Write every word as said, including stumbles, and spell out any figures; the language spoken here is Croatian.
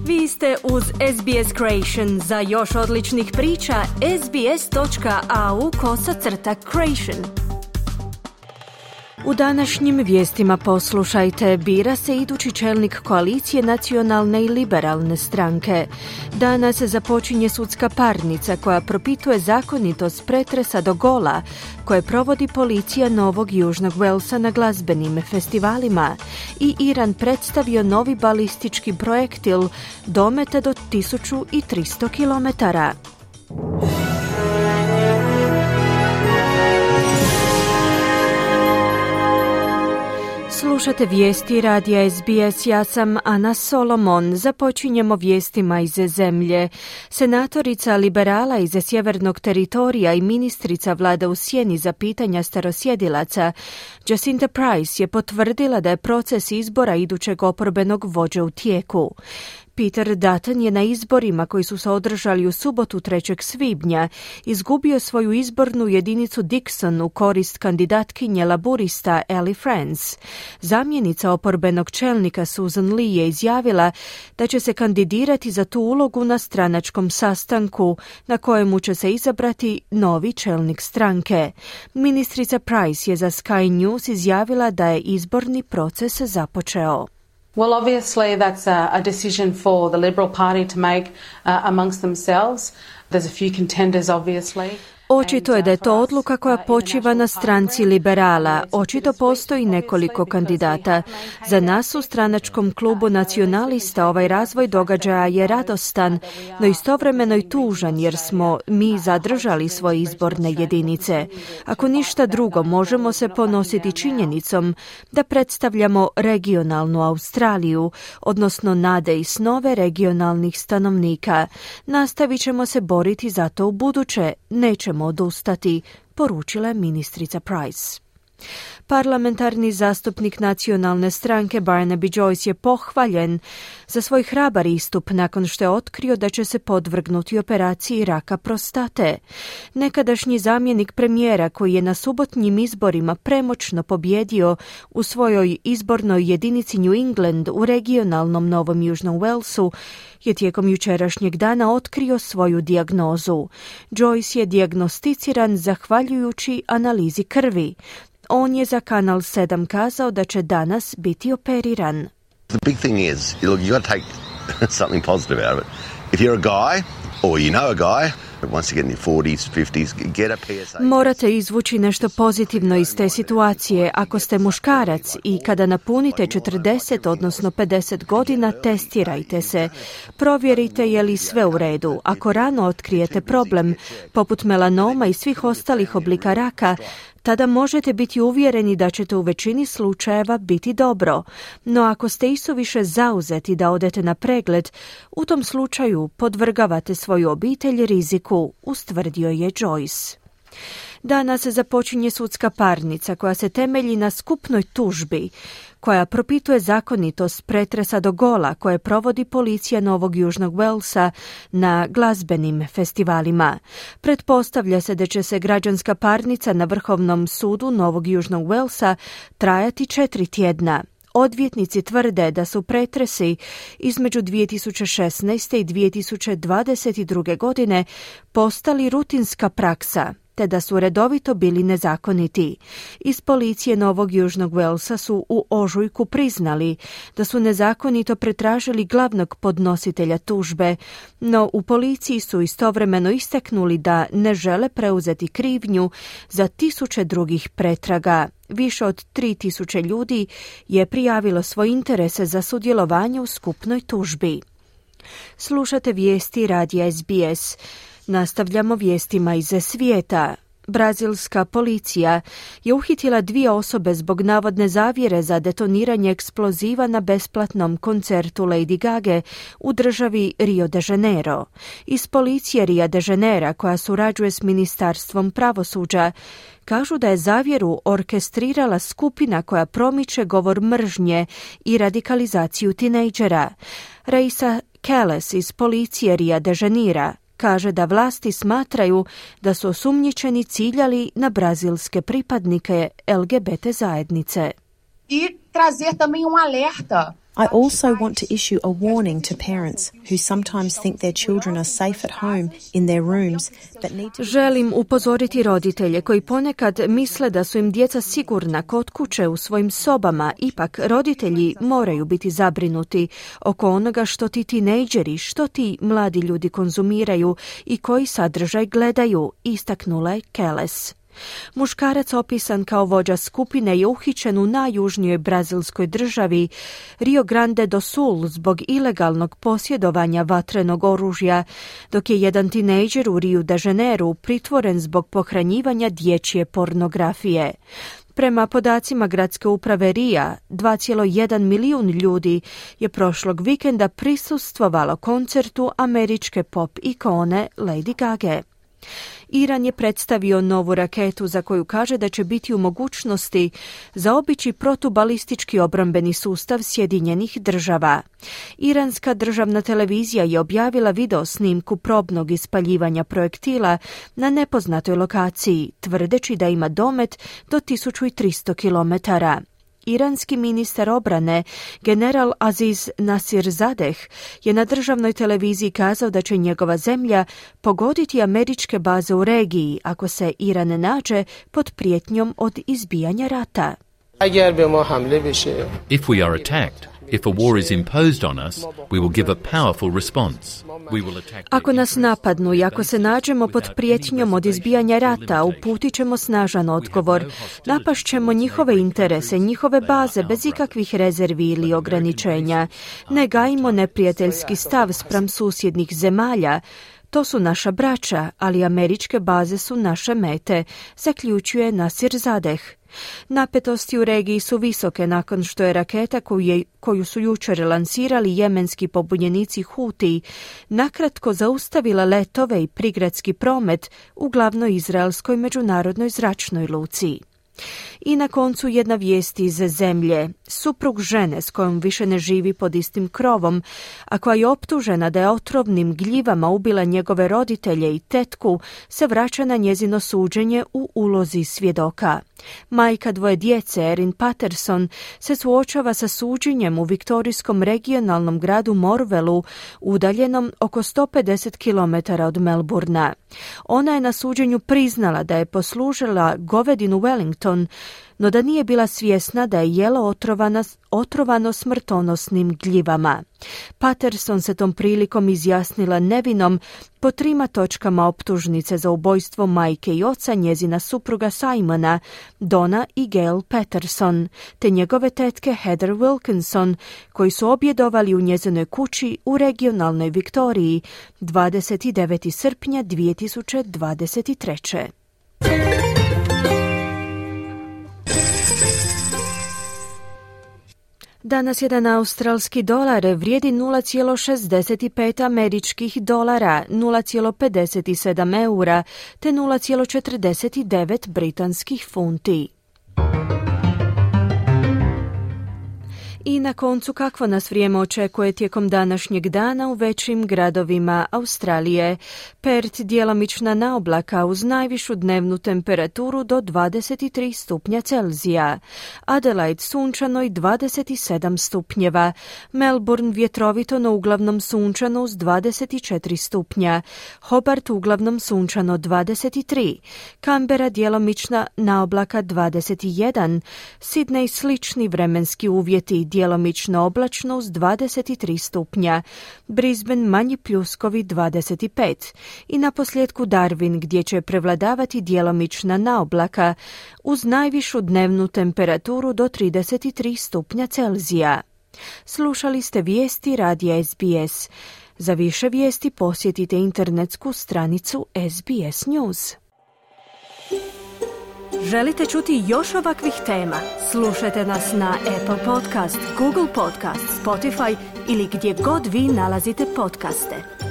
Vi ste uz S B S Creation. Za još odličnih priča, sbs.au kosacrta creation. U današnjim vijestima poslušajte, bira se idući čelnik koalicije nacionalne i liberalne stranke. Danas započinje sudska parnica koja propituje zakonitost pretresa do gola koje provodi policija Novog Južnog Walesa na glazbenim festivalima i Iran predstavio novi balistički projektil dometa do tisuću tristo kilometara. Slušate vijesti radija S B S, ja sam Ana Solomon. Započinjemo vijestima iz zemlje. Senatorica liberala iz sjevernog teritorija i ministrica vlada u sjeni za pitanja starosjedilaca Jacinta Price je potvrdila da je proces izbora idućeg oporbenog vođe u tijeku. Peter Dutton je na izborima koji su se održali u subotu trećeg svibnja izgubio svoju izbornu jedinicu Dixon u korist kandidatkinje laburista Ellie Franz. Zamjenica oporbenog čelnika Susan Lee je izjavila da će se kandidirati za tu ulogu na stranačkom sastanku na kojemu će se izabrati novi čelnik stranke. Ministrica Price je za Sky News izjavila da je izborni proces započeo. Well, obviously that's a, a decision for the Liberal Party to make uh, amongst themselves. There's a few contenders, obviously. Očito je da je to odluka koja počiva na stranci liberala. Očito postoji nekoliko kandidata. Za nas u stranačkom klubu nacionalista ovaj razvoj događaja je radostan, no istovremeno i tužan jer smo mi zadržali svoje izborne jedinice. Ako ništa drugo, možemo se ponositi činjenicom da predstavljamo regionalnu Australiju, odnosno nade i snove regionalnih stanovnika. Nastavit ćemo se boriti za to u buduće, nećemo odustati, poručila je ministrica Price. Parlamentarni zastupnik nacionalne stranke Barnaby Joyce je pohvaljen za svoj hrabar istup nakon što je otkrio da će se podvrgnuti operaciji raka prostate. Nekadašnji zamjenik premijera koji je na subotnjim izborima premoćno pobjedio u svojoj izbornoj jedinici New England u regionalnom Novom Južnom Walesu je tijekom jučerašnjeg dana otkrio svoju dijagnozu. Joyce je dijagnosticiran zahvaljujući analizi krvi. On je za Kanal sedam kazao da će danas biti operiran. The big thing is, look, you got to take something positive out of it. If you're a guy, or you know a guy, once you get in your forties, fifties, get a P S A. Morate izvući nešto pozitivno iz te situacije. Ako ste muškarac i kada napunite četrdeset, odnosno pedeset godina, testirajte se. Provjerite je li sve u redu. Ako rano otkrijete problem, poput melanoma i svih ostalih oblika raka, tada možete biti uvjereni da ćete u većini slučajeva biti dobro. No ako ste isuviše zauzeti da odete na pregled, u tom slučaju podvrgavate svoju obitelj riziku, ustvrdio je Joyce. Danas započinje sudska parnica koja se temelji na skupnoj tužbi koja propituje zakonitost pretresa do gola koje provodi policija Novog Južnog Walesa na glazbenim festivalima. Pretpostavlja se da će se građanska parnica na Vrhovnom sudu Novog Južnog Walesa trajati četiri tjedna. Odvjetnici tvrde da su pretresi između dvije tisuće šesnaeste i dvije tisuće dvadeset druge. godine postali rutinska praksa, te da su redovito bili nezakoniti. Iz policije Novog Južnog Walesa su u ožujku priznali da su nezakonito pretražili glavnog podnositelja tužbe, no u policiji su istovremeno istaknuli da ne žele preuzeti krivnju za tisuće drugih pretraga. Više od tri tisuće ljudi je prijavilo svoj interese za sudjelovanje u skupnoj tužbi. Slušate vijesti radija S B S. Nastavljamo vijestima iz svijeta. Brazilska policija je uhitila dvije osobe zbog navodne zavjere za detoniranje eksploziva na besplatnom koncertu Lady Gage u državi Rio de Janeiro. Iz policije Rio de Janeira, koja surađuje s Ministarstvom pravosuđa, kažu da je zavjeru orkestrirala skupina koja promiče govor mržnje i radikalizaciju tinejdžera. Raisa Keles iz policije Rio de Janeira kaže da vlasti smatraju da su osumnjičeni ciljali na brazilske pripadnike L G B T zajednice. I trazer também um alerta I also want to issue a warning to parents who sometimes think their children are safe at home in their rooms, but need to... Želim upozoriti roditelje koji ponekad misle da su im djeca sigurna kod kuće u svojim sobama. Ipak, roditelji moraju biti zabrinuti oko onoga što ti tinejdžeri, što ti mladi ljudi konzumiraju i koji sadržaj gledaju, istaknula je Keles. Muškarac opisan kao vođa skupine je uhićen u najjužnijoj brazilskoj državi Rio Grande do Sul zbog ilegalnog posjedovanja vatrenog oružja, dok je jedan tinejdžer u Rio de Janeiru pritvoren zbog pohranjivanja dječje pornografije. Prema podacima gradske uprave Rija, dva zarez jedan milijun ljudi je prošlog vikenda prisustvovalo koncertu američke pop ikone Lady Gage. Iran je predstavio novu raketu za koju kaže da će biti u mogućnosti zaobići protubalistički obrambeni sustav Sjedinjenih država. Iranska državna televizija je objavila video snimku probnog ispaljivanja projektila na nepoznatoj lokaciji, tvrdeći da ima domet do tisuću tristo kilometara. Iranski ministar obrane, general Aziz Nasirzadeh, je na državnoj televiziji kazao da će njegova zemlja pogoditi američke baze u regiji ako se Iran nađe pod prijetnjom od izbijanja rata. If we are attacked, if a war is imposed on us, we will give a powerful response. We will attack. Ako nas napadnu i ako se nađemo pod prijetnjom od izbijanja rata, uputit ćemo snažan odgovor. Napašćemo njihove interese, njihove baze bez ikakvih rezervi ili ograničenja. Ne gajimo neprijateljski stav spram susjednih zemalja. To su naša braća, ali američke baze su naše mete, zaključuje Nasirzadeh. Napetosti u regiji su visoke nakon što je raketa koju, je, koju su jučer lansirali jemenski pobunjenici Huti nakratko zaustavila letove i prigradski promet u glavnoj izraelskoj međunarodnoj zračnoj luci. I na koncu jedna vijest iz zemlje. Suprug žene s kojom više ne živi pod istim krovom, a koja je optužena da je otrovnim gljivama ubila njegove roditelje i tetku, se vraća na njezino suđenje u ulozi svjedoka. Majka dvoje djece, Erin Patterson, se suočava sa suđenjem u viktorijskom regionalnom gradu Morvelu, udaljenom oko sto pedeset kilometara od Melburna. Ona je na suđenju priznala da je poslužila govedinu Wellington, no da nije bila svjesna da je jelo otrovana, otrovano smrtonosnim gljivama. Patterson se tom prilikom izjasnila nevinom po trima točkama optužnice za ubojstvo majke i oca njezina supruga Simona, Donna i Gail Patterson, te njegove tetke Heather Wilkinson, koji su objedovali u njezinoj kući u regionalnoj Viktoriji dvadeset devetog srpnja dvije tisuće dvadeset treće. Danas jedan australski dolar vrijedi nula zarez šezdeset pet američkih dolara, nula zarez pedeset sedam eura te nula zarez četrdeset devet britanskih funti. I na koncu kakvo nas vrijeme očekuje tijekom današnjeg dana u većim gradovima Australije. Perth djelomična naoblaka uz najvišu dnevnu temperaturu do dvadeset tri stupnja Celzija. Adelaide sunčano i dvadeset sedam stupnjeva. Melbourne vjetrovito no uglavnom sunčano uz dvadeset četiri stupnja. Hobart uglavnom sunčano dvadeset tri. Canberra djelomična naoblaka dvadeset jedan. Sydney slični vremenski uvjeti, djelomično oblačno uz dvadeset tri stupnja, Brisbane manji pljuskovi dvadeset pet i na posljedku Darwin gdje će prevladavati djelomična naoblaka uz najvišu dnevnu temperaturu do trideset tri stupnja Celzija. Slušali ste vijesti radija S B S. Za više vijesti posjetite internetsku stranicu S B S News. Želite čuti još ovakvih tema? Slušajte nas na Apple Podcast, Google Podcast, Spotify ili gdje god vi nalazite podcaste.